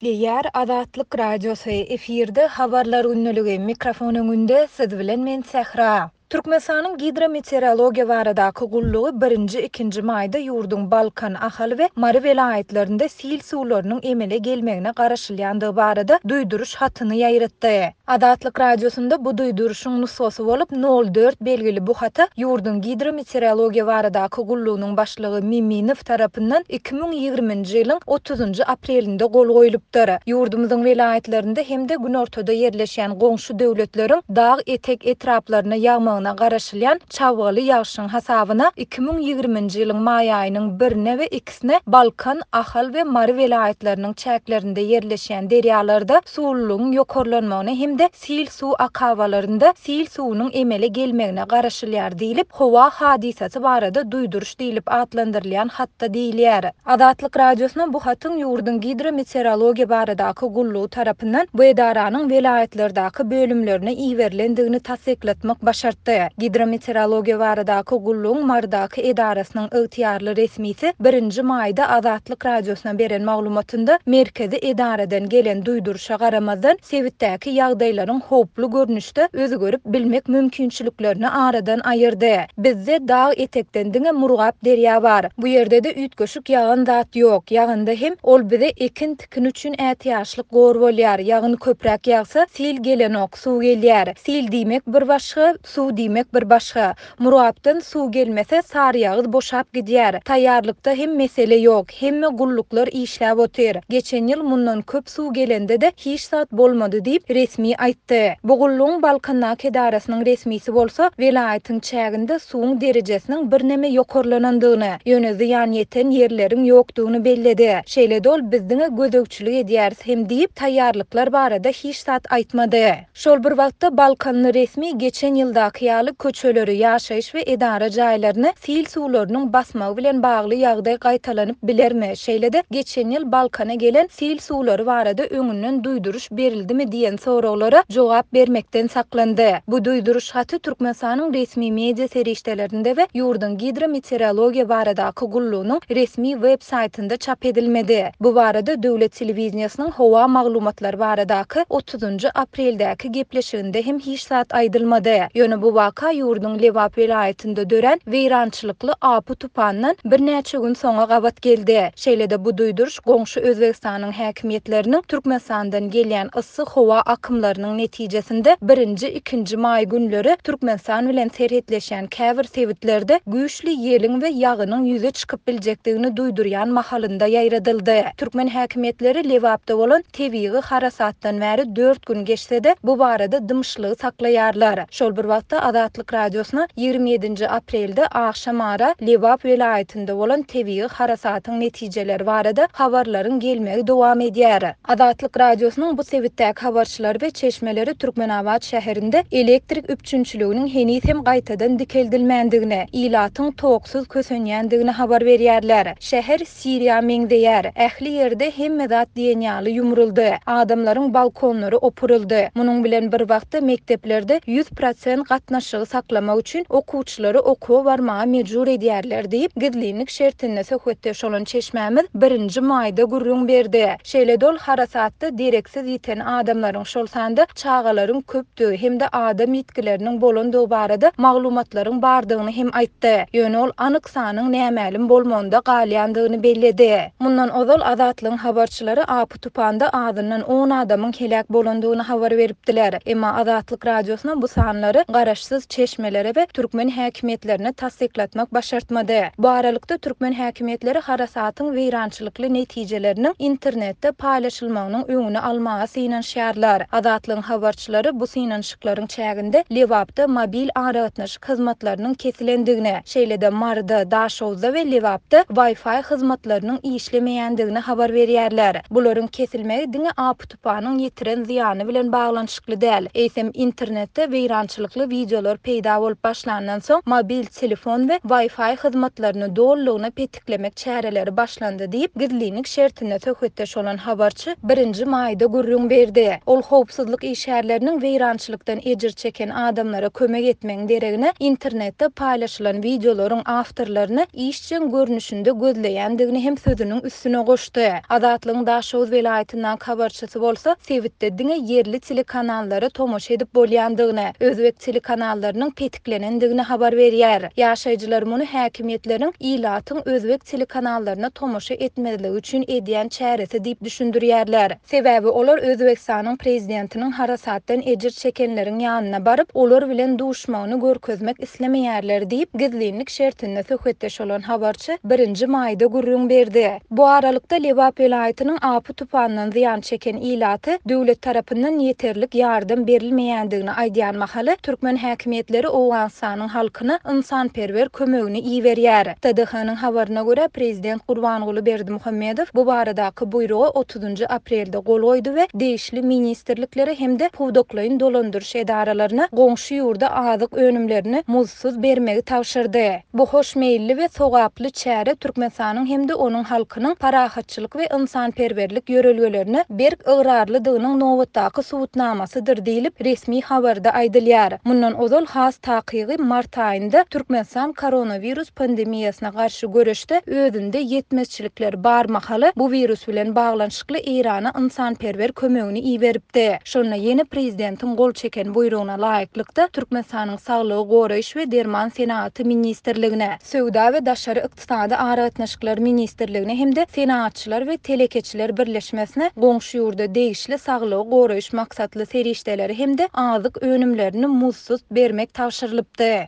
Gepleýär Azatlyk Radiosy, efirde Habarlar gündeligi, mikrofon öňünde siz bilen men Sähra. Türkmenistanyň Gidrometeorologiýa baradaky gullugy birinji, ikinji maýda ýurduň Balkan, Ahal we Mary welaýatlarynda sil suwlarynyň emele gelmegine garaşylýandygy barada duýduryş hatyny ýaýratdy. Azatlyk Radiosynda bu duýduryşyň nusgasy bolup, nol dört belgili bu hata ýurduň Gidrometeorologiýa baradaky gullugynyň başlygy Miminow tarapyndan 2020-nji ýylyň otuzynjy aprelinde gol goýlupdyr. Ýurdumyzyň welaýatlarynda hem-de günortada ýerleşýän goňşy döwletleriň dag etek etraplaryna ýagmagyna garaşylýan çabgaly ýagşyň hasabyna 2020-nji ýylyň maý aýynyň birine we ikisine Balkan, Ahal we Mary welaýatlarynyň çäklerinde ýerleşýän derýalarda suwlulygyň ýokarlanmagyna hem-de sil suw akabalarynda sil suwunyň emele gelmegine garaşylýar diýlip, howa hadysasy barada duýduryş diýlip atlandyrylýan hatda diýilýär. Azatlyk Radiosyna bu hatyň ýurduň Gidrometeorologiýa baradaky gullugy tarapyndan bu edaranyň welaýatlardaky bölümlerine iberilendigini tassyklatmak başartdy. Gidrometeorologiýa baradaky gullugyň Marydaky edarasynyň ygtyýarly resmisi birinji maýda Azatlyk Radiosyna beren maglumatynda merkezi edaradan gelen duýduryşa garamazdan, sebitdäki ýagdaýlaryň howply görnüşde özgerip bilmek mümkinçiliklerini aradan aýyrdy. Bizde dag etekden diňe Murgap derýa bar. Bu ýerde-de üýtgeşik ýagan zat ýok. Ýaganda hem ol bize ekin-tikin üçin ätiýaçlyk gor bolýar. Ýagyn köpräk ýagsa, sil gelenok, suw gelýär. Sil diýmek bir başga, suw diýmek bir başga. Murgapdan suw gelmese, saryýagyz boşap gidýär. Taýýarlykda hem mesele ýok. Hemme gulluklar işläp otyr. Geçen ýyl mundan köp suw gelende-de hiç zat bolmady diýip, resmi aýtdy. Bu gullugyň Balkandaky edarasynyň resmisi bolsa, welaýatyň çäginde suwuň derejesiniň birneme ýokarlanandygyny, ýöne zyýan ýeten ýerleriň ýokdugyny belledi. Şeýle-de ol biz diňe gözegçilik edýäris hem diýip, taýýarlyklar barada hiç zat aýtmady. Şol bir wagtda, balkanly resmi geçen ýyldaky ýaly köçeleri, ýaşaýyş we edara jaýlaryny sil suwlarynyň basmagy bilen bagly ýagdaý gaýtalanyp bilermi, şeýle-de geçen ýyl Balkana gelen sil suwlary barada öňünden duýduryş berildimi diýen soraglara jogap bermekden saklandy. Bu duýduryş haty Türkmenistanyň resmi media serişdelerinde we ýurduň Gidrometeorologiýa baradaky gullugynyň resmi web saýtynda çap edilmedi. Bu barada döwlet telewideniýesiniň howa maglumatlary baradaky otuzynjy apreldäki gepleşiginde hem hiç zat aýdylmady. Ýöne bu waka ýurduň Lebap welaýatynda dörän weýrançylykly apy-tupandan birnäçe gün soňa gabat geldi. Şeýle-de bu duýduryş goňşy Özbegistanyň häkimiýetleriniň Türkmenistandan gelýän yssy howa akymlarynyň netijesinde birinji, ikinji maý günleri Türkmenistan bilen serhetleşýän käbir sebitlerde güýçli ýeliň we ýagynyň ýüze çykyp biljekdigini duýdurýan mahalynda ýaýradyldy. Türkmen häkimiýetleri Lebapda bolan tebigy harasatdan bäri dört gün geçse-de, bu barada dymyşlygy saklaýarlar. Şol bir wagtda, Azatlyk Radiosyna 27-nji aprelde agşam ara Lebap welaýatynda bolan tebigy harasatyň netijeleri barada habarlaryň gelmegi dowam edýär. Azatlyk Radiosynyň bu sebitdäki habarçylary we çeşmeleri Türkmenabat şäherinde elektrik üpjünçiliginiň heniz hem gaýtadan dikeldilmändigini, ilatyň toksuz kösenýändigini habar berýärler. Şäher Siriýa meňzeýär. Ähli ýerde hemme zat diýen ýaly ýumruldy. Adamlaryň balkonlary opuryldy. Munuň bilen bir wagtda mekdeplerde 100% gatnaşygy saklamak üçin okuwçylary okuwa barmaga mejbur edýärler diýip, gizlinlik şertinde söhbetdeş bolan çeşmämiz birinji maýda gürrüň berdi. Şeýle-de ol harasatda dereksiz ýiten adamlaryň, şol sanda çagalaryň köpdügi hem-de adam ýitgileriniň bolandygy barada maglumatlaryň bardygyny hem aýtdy. Ýöne ol anyk sanyň nämälim bolmagynda galýandygyny belledi. Mundan ozal Azatlygyň habarçylary apy-tupanda azyndan on adamyň heläk bolandygyny habar beripdiler. Emma Azatlyk Radiosyna bu sanlary garaşsyz çeşmelere we türkmen häkimiýetlerine tassyklatmak başartmady. Bu aralykda, türkmen häkimiýetleri harasatyň weýrançylykly netijeleriniň internetde paýlaşylmagynyň öňüni almaga synanyşýarlar. Azatlygyň habarçylary bu synanyşyklaryň çäginde Lebapda mobil aragatnaşyk hyzmatlarynyň kesilendigini, şeýle-de Maryda, Daşoguzda we Lebapda Wi-Fi hyzmatlarynyň işlemeýändigini habar berýärler. Bularyň kesilmegi diňe apy-tupanyň ýetiren zyýany bilen baglanyşykly däl, eýsem internetde weýrançylykly wideolar peýda bolup başlandan soň mobil telefon we Wi-Fi hyzmatlaryny dolulygyna petiklemek çäreleri başlandy diýip, gizlinlik şertinde söhbetdeş bolan habarçy birinji maýda gürrüň berdi. Ol howpsuzlyk. Howpsuzlyk işgärleriniň weýrançylykdan ejir çeken adamlara kömek etmegiň deregine, internetde paýlaşylan wideolaryň awtorlaryny işjeň görnüşinde gözleýändigini hem sözüniň üstüne goşdy. Azatlygyň Daşoguz welaýatyndaky habarçysy bolsa, sebitde diňe ýerli telekanallara tomaşa edip bolýandygyny, özbek telekanallarynyň petiklenendigini habar berýär. Ýaşaýjylar muny häkimiýetleriň ilatyň özbek telekanallaryna tomaşa etmezligi üçin edýän çäresi diýip düşündirýärler. Sebäbi olar Özbegistanyň prezidentiniň harasatdan ejir çekenleriň ýanyna baryp, olar bilen duşmagyny görkezmek islemeýärler diýip, gizlinlik şertinde söhbetdeş bolan habarçy birinji maýda gürrüň berdi. Bu aralykda, Lebap welaýatynyň apy-tupandan zyýan çeken ilaty döwlet tarapyndan ýeterlik ýardam berilmeýändigini aýdýan mahaly, türkmen häkimiýetleri Owganystanyň halkyna ynsanperwer kömegini iberýär. TDH-nyň habaryna görä, prezident Gurbanguly Berdimuhamedow bu baradaky buýruga otuzynjy aprelde gol goýdy we degişli ministrliklere hem-de pudaklaýyn dolandyryş edaralaryna goňşy ýurda azyk önümlerini muzdsuz bermegi tabşyrdy. Bu hoşmeýilli we sogaply çäre Türkmenistanyň hem-de onuň halkynyň parahatçylyk we ynsanperwerlik ýörelgelerine berk ygrarlydygynyň nobatdaky subutnamasydyr diýlip, resmi habarda aýdylýar. Mundan ozal, has takygy, mart aýynda Türkmenistan koronawirus pandemiýasyna garşy göreşde özünde ýetmezçilikler bar mahaly bu wirus bilen baglanyşykly Eýrana ynsanperwer kömegini iberipdi. Şonda ýene prezidentiň gol çeken buýrugyna laýyklykda, Türkmenistanyň Saglygy goraýyş we derman senagaty ministrligine, Söwda we daşary ykdysady aragatnaşyklar ministrligine hem-de Senagatçylar we telekeçiler birleşmesine goňşy ýurda degişli saglygy goraýyş maksatly serişdeleri hem-de azyk önümlerini muzdsuz bermek tabşyrylypdy.